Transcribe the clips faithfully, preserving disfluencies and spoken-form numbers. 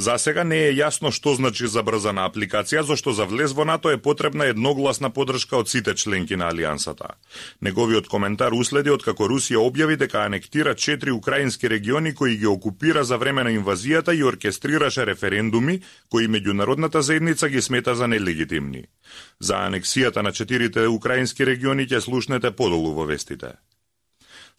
За сега не е јасно што значи забрзана апликација, зашто за влез во НАТО е потребна едногласна поддршка од сите членки на алијансата. Неговиот коментар уследи откако Русија објави дека анектира четири украински региони кои ги окупира за време на инвазијата и оркестрираше референдуми кои меѓународната заедница ги смета за нелегитимни. За анексијата на четирите украински региони ќе слушнете подолу во вестите.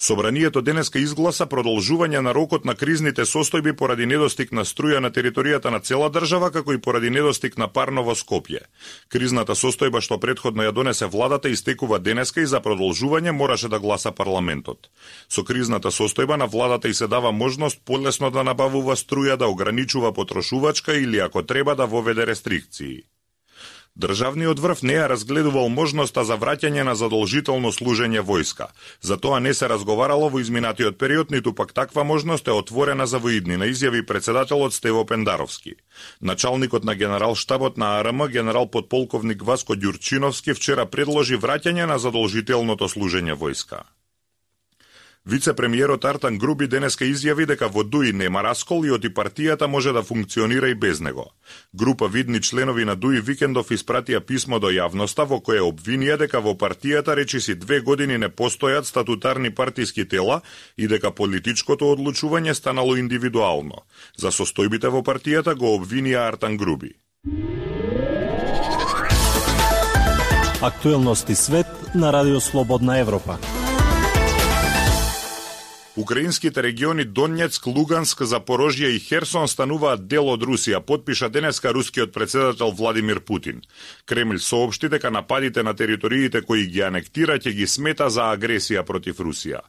Собранието денеска изгласа продолжување на рокот на кризните состојби поради недостиг на струја на територијата на цела држава, како и поради недостиг на парно во Скопје. Кризната состојба што претходно ја донесе владата истекува денеска и за продолжување мораше да гласа парламентот. Со кризната состојба на владата и се дава можност полесно да набавува струја, да ограничува потрошувачка или ако треба да воведе рестрикции. Државниот врв не ја разгледувал можноста за враќање на задолжително служење војска. За тоа не се разговарало во изминатиот период, ниту пак таква можност е отворена за воиднина, изјави председателот Стево Пендаровски. Началникот на генерал-штабот на А Р М, генерал подполковник Васко Ѓурчиновски, вчера предложи враќање на задолжителното служење војска. Вице-премиерот Артан Груби денеска изјави дека во ДУИ нема раскол и оти партијата може да функционира и без него. Група видни членови на ДУИ викендов испратија писмо до јавноста во кое обвинија дека во партијата речиси две години не постојат статутарни партиски тела и дека политичкото одлучување станало индивидуално. За состојбите во партијата го обвинија Артан Груби. Актуелности свет на Радио Слободна Европа. Украинските региони Донецк, Луганск, Запорожје и Херсон стануваат дел од Русија, потпиша денеска рускиот председател Владимир Путин. Кремљ соопшти дека нападите на териториите кои ги анектира ќе ги смета за агресија против Русија.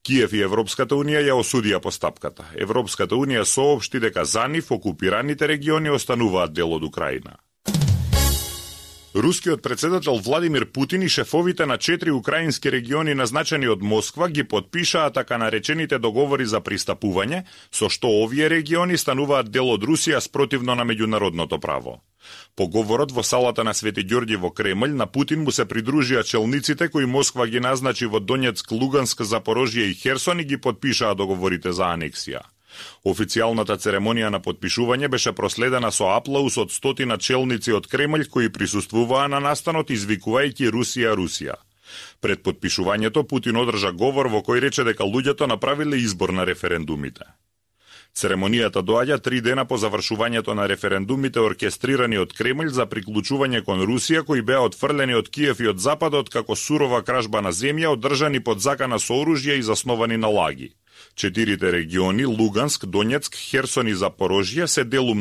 Киев и Европската унија ја осудија постапката. Европската унија соопшти дека за нив окупираните региони остануваат дел од Украина. Рускиот председател Владимир Путин и шефовите на четири украински региони назначени од Москва ги подпишаа така наречените договори за пристапување, со што овие региони стануваат дел од Русија спротивно на меѓународното право. По говорот во салата на Свети Ѓорѓи во Кремљ на Путин му се придружија челниците кои Москва ги назначи во Донецк, Луганск, Запорожје и Херсон и ги подпишаа договорите за анексија. Официјалната церемонија на подпишување беше проследена со аплауз од стотина челници од Кремљ кои присуствуваа на настанот извикувајќи Русија, Русија. Пред подпишувањето Путин одржа говор во кој рече дека луѓето направиле избор на референдумите. Церемонијата доаѓа три дена по завршувањето на референдумите оркестрирани од Кремљ за приклучување кон Русија, кои беа отфрлени од Киев и од Западот како сурова кражба на земја, одржани под закана со оружје и засновани на лаги. Четирите региони Луганск, Донецк, Херсон и Запорожје се делум